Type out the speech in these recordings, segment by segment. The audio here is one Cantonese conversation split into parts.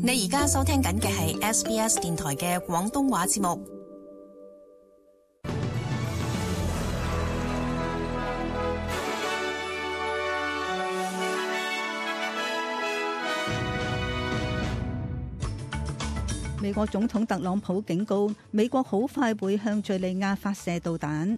你而家收聽緊嘅係 SBS 電台嘅廣東話節目。美國總統特朗普警告，美國好快會向敘利亞發射導彈。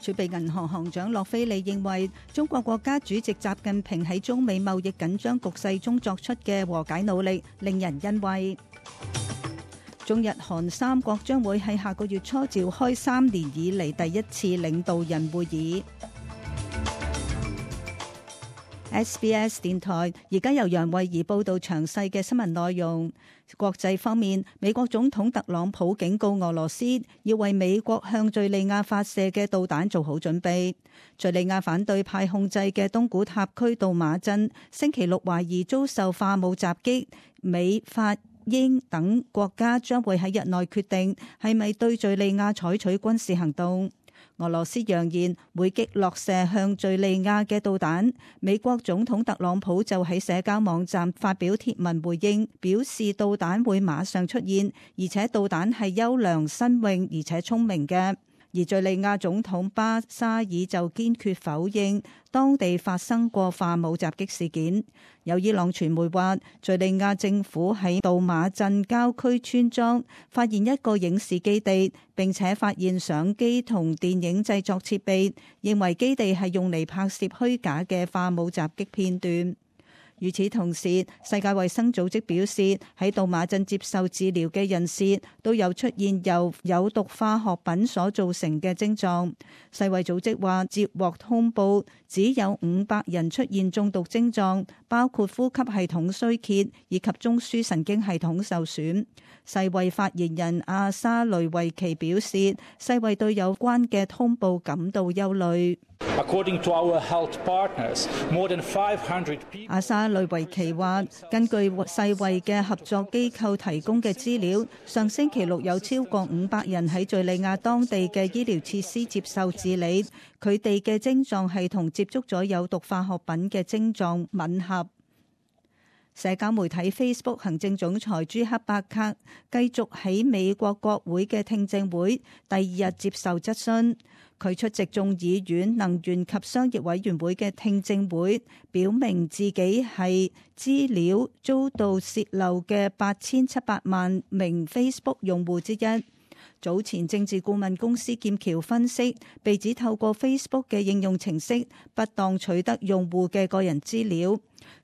儲備銀行行長洛菲利認為，中國國家主席習近平喺中美貿易緊張局勢中作出嘅和解努力令人欣慰。中日韓三國將會喺下個月初召開3年以嚟第一次領導人會議。SBS 電台而家由楊慧儀報道詳細嘅新聞內容。國際方面，美國總統特朗普警告俄羅斯要為美國向敘利亞發射嘅導彈做好準備。敘利亞反對派控制嘅東古塔區杜馬鎮星期六懷疑遭受化武襲擊，美法英等國家將會喺日內決定係咪對敘利亞採取軍事行動。俄羅斯揚言會擊落射向敘利亞嘅導彈，美國總統特朗普就喺社交網站發表貼文回應，表示導彈會馬上出現，而且導彈係優良、新穎而且聰明嘅。而敘利亞總統巴沙爾就堅決否認當地發生過化武襲擊事件。有伊朗傳媒話，敘利亞政府喺杜馬鎮郊區村莊發現一個影視基地，並且發現相機同電影製作設備，認為基地係用嚟拍攝虛假嘅化武襲擊片段。與此同時，世界衛生組織表示，喺杜馬鎮接受治療嘅人士都有出現由有毒化學品所造成嘅症狀。世衛組織話，接獲通報只有500人出現中毒症狀，包括呼吸系統衰竭以及中樞神經系統受損。世衛發言人阿沙雷維奇表示，世衛對有關嘅通報感到憂慮。阿沙雷維奇話，根據世衛嘅合作機構提供嘅資料，上星期六有超過500人喺敘利亞當地嘅醫療設施接受治理，佢哋嘅症狀係同接觸咗有毒化學品嘅症狀吻合。社交媒體 Facebook 行政總裁朱克伯格繼續喺美國國會嘅聽證會第2日接受質詢。佢出席眾議院能源及商業委員會嘅聽證會，表明自己係資料遭到洩漏嘅8700萬名 Facebook 用戶之一。早前政治顧問公司劍橋分析，被指透過 Facebook 嘅應用程式不當取得用戶嘅個人資料。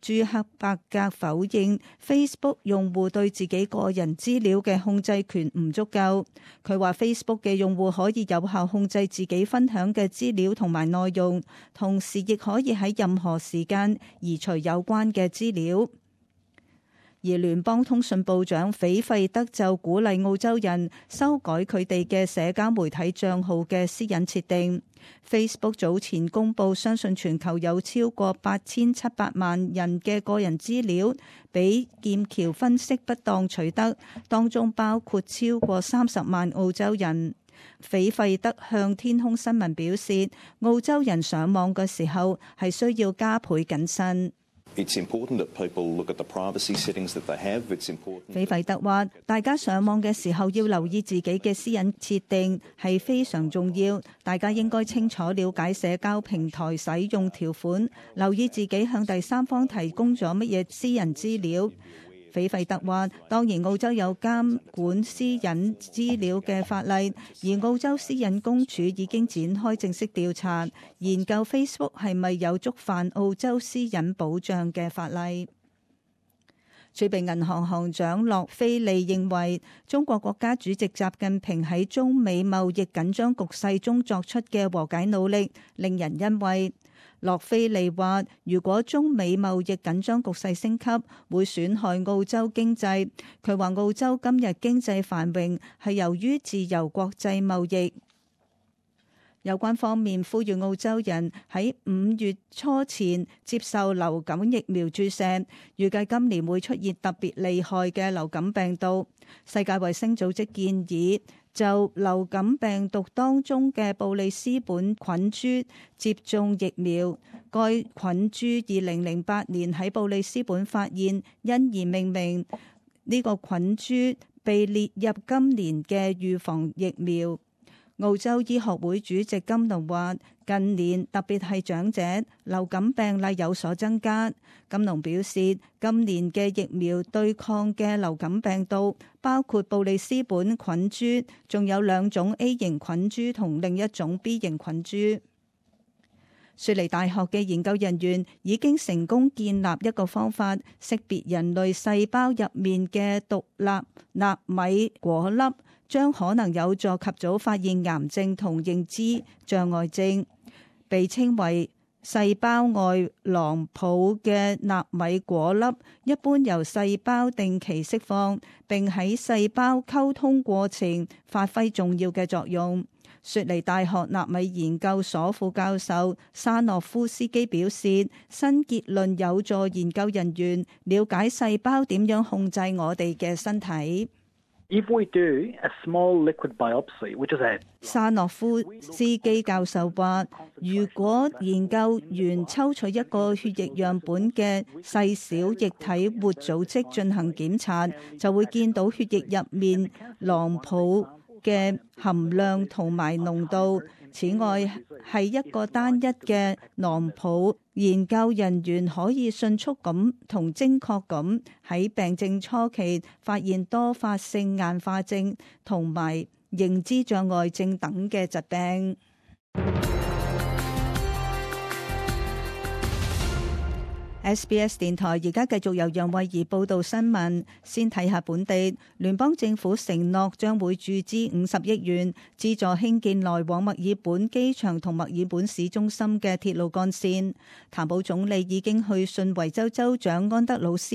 朱克伯格否認 Facebook 用戶對自己個人資料嘅控制權唔足夠。佢話 Facebook 嘅用戶可以有效控制自己分享嘅資料同埋內容，同時亦可以喺任何時間移除有關嘅資料。而聯邦通訊部長斐費德就鼓勵澳洲人修改佢哋嘅社交媒體賬號嘅私隱設定。Facebook 早前公布，相信全球有超過8700萬人嘅個人資料俾劍橋分析不當取得，當中包括超過30萬澳洲人。斐費德向天空新聞表示，澳洲人上網嘅時候係需要加倍謹慎。斐費德話，大家上網嘅時候要留意自己嘅私隱設定係非常重要，大家應該清楚了解社交平台使用條款，留意自己向第三方提供咗乜嘢私人資料。斐費特話，當然澳洲有監管私隱資料嘅法例，而澳洲私隱公署已經展開正式調查，研究 Facebook 係咪有觸犯澳洲私隱保障嘅法例。儲備銀行行長洛菲利認為，中國國家主席習近平喺中美貿易緊張局勢中作出嘅和解努力令人欣慰。洛菲利話，如果中美貿易緊張局勢升級，會損害澳洲經濟。佢話澳洲今日經濟繁榮係由於自由國際貿易。有關方面呼籲澳洲人喺5月初前接受流感疫苗注射，預計今年會出現特別厲害嘅流感病毒。世界衛生組織建議就流感病毒當中嘅布里斯本菌株接種疫苗。該菌株2008年喺布里斯本發現，因而命名。呢個菌株被列入今年嘅預防疫苗。澳洲醫學會主席金龍話：近年特別係長者流感病例有所增加。金龍表示，今年嘅疫苗對抗嘅流感病毒包括布里斯本菌株，仲有2種 A 型菌株同另一種 B 型菌株。雪梨大學嘅研究人員已經成功建立一個方法，識別人類細胞入面嘅獨立納米果粒，將可能有助及早發現癌症同認知障礙症。被稱為細胞外囊泡嘅納米果粒，一般由細胞定期釋放，並喺細胞溝通過程發揮重要嘅作用。雪梨大學納米研究所副教授沙諾夫斯基表示，新結論有助研究人員了解細胞點樣控制我哋嘅身體。沙諾夫斯基教授話，如果研究員抽取一個血液樣本嘅細小液體活組織進行檢查，就會見到血液入面囊泡嘅含量同埋濃度。此外，係一個單一嘅囊泡，研究人員可以迅速咁同精確咁喺病症初期發現多發性硬化症同埋認知障礙症等嘅疾病。SBS 電台而家繼續由楊慧儀報道新聞。先睇下本地，聯邦政府承諾將會注資50億元，資助興建來往墨爾本機場同墨爾本市中心嘅鐵路幹線。譚寶總理已經去信維州州長安德魯斯，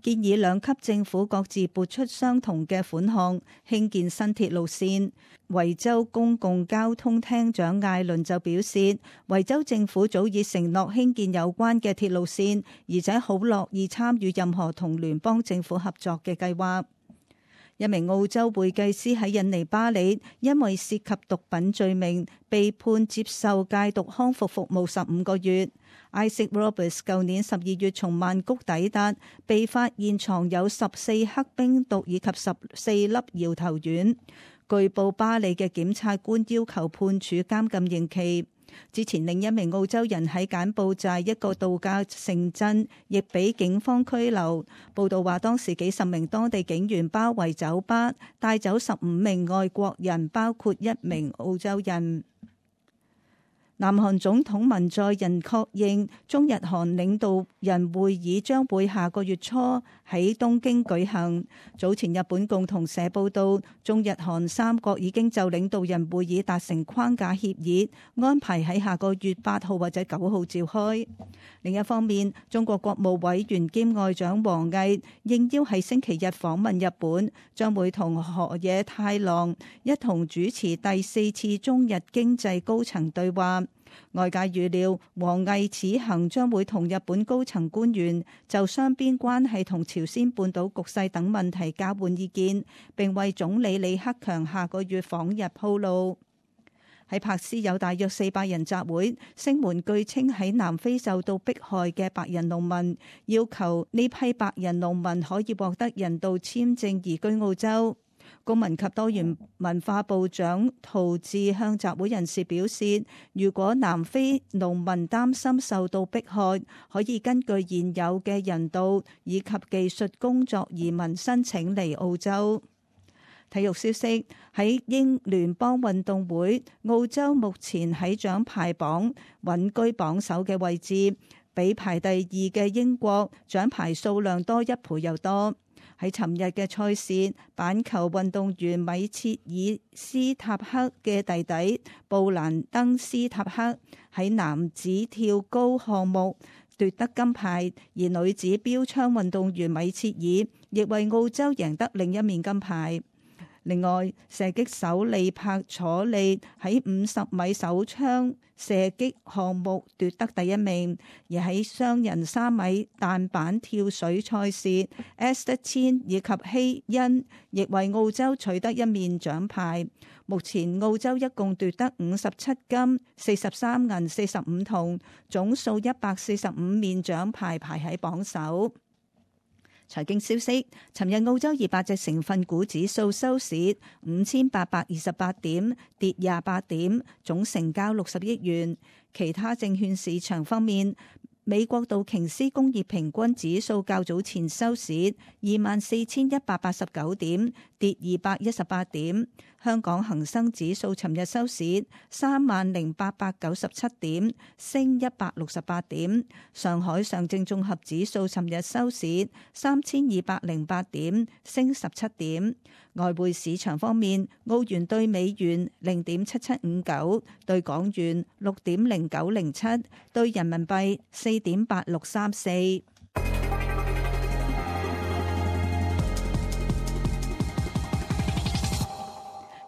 建議兩級政府各自撥出相同嘅款項興建新鐵路線。維州公共交通廳長艾倫就表示，維州政府早已承諾興建有關嘅鐵路線，而且好樂意參與任何同聯邦政府合作嘅計劃。一名澳洲會計師喺印尼巴里因為涉及毒品罪名被判接受戒毒康復服務15個月。Isaac Roberts 舊年12月從曼谷抵達，被發現藏有14克冰毒以及14粒搖頭丸。據報巴里嘅檢察官要求判處監禁刑期。之前另一名澳洲人喺柬埔寨一個度假城鎮亦被警方拘留。報道話當時幾十名當地警員包圍酒吧，帶走15名外國人，包括1名澳洲人。南韓總統文在寅確認，中日韓領導人會議將會下個月初喺東京舉行。早前日本共同社報道，中日韓3國已經就領導人會議達成框架協議，安排喺下個月8號或者9號召開。另一方面，中國國務委員兼外長王毅應邀喺星期日訪問日本，將會同河野太郎一同主持第4次中日經濟高層對話。外界預料，王毅此行將會同日本高層官員就雙邊關係同朝鮮半島局勢等問題交換意見，並為總理李克強下個月訪日鋪路。喺柏斯有大約400人集會，聲援據稱喺南非受到迫害嘅白人農民，要求呢批白人農民可以獲得人道簽證移居澳洲。公民及多元文化部長陶治向集會人士表示，如果南非農民擔心受到迫害，可以根據現有嘅人道以及技術工作移民申請嚟澳洲。體育消息，喺英聯邦運動會，澳洲目前喺獎牌榜穩居榜首嘅位置，比排第2嘅英國獎牌數量多1倍又多。喺尋日嘅賽事，板球運動員米切爾斯塔克嘅弟弟布蘭登斯塔克喺男子跳高項目奪得金牌，而女子標槍運動員米切爾亦為澳洲贏得另一面金牌。另外，射擊手利柏楚利喺50米手槍射擊項目奪得第1名，而喺雙人3米彈板跳水賽事 Esther Chin 以及希恩亦為澳洲取得1面獎牌。目前澳洲一共奪得57金、43銀、45銅，總數145面獎牌，排喺榜首。財經消息，尋日澳洲200隻成分股指數收市5828點，跌28點，總成交60億元。其他證券市場方面，美國道瓊斯工業平均指數較早前收市24,189點，跌218點。香港恒生指數尋日收市30,897點，升168點。上海上證綜合指數尋日收市3,208點，升17點。外匯市場方面，澳元對美元0.7759，對港元6.0907，對人民幣4.8634。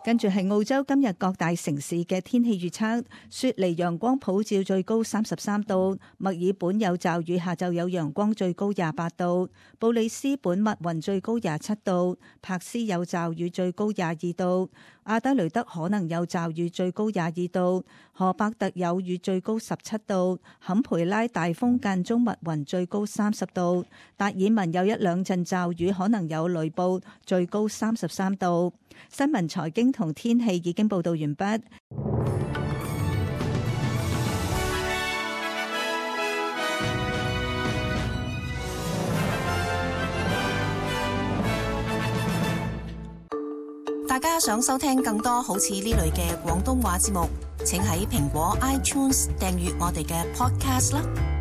跟住係澳洲今日各大城市嘅天氣預測：雪梨陽光普照，最高33度；墨爾本有驟雨，下晝有陽光，最高28度；布里斯本密雲，最高27度；柏斯有驟雨，最高22度；阿德雷德可能有驟雨，最高22度；荷伯特有雨，最高17度；坎培拉大風間中密雲，最高30度；達爾文有1兩陣驟雨，可能有雷暴，最高33度。新聞財經同天氣已經報道完畢。大家想收聽更多好似呢類嘅廣東話節目，請喺蘋果 iTunes 訂閱我哋嘅 Podcast 啦。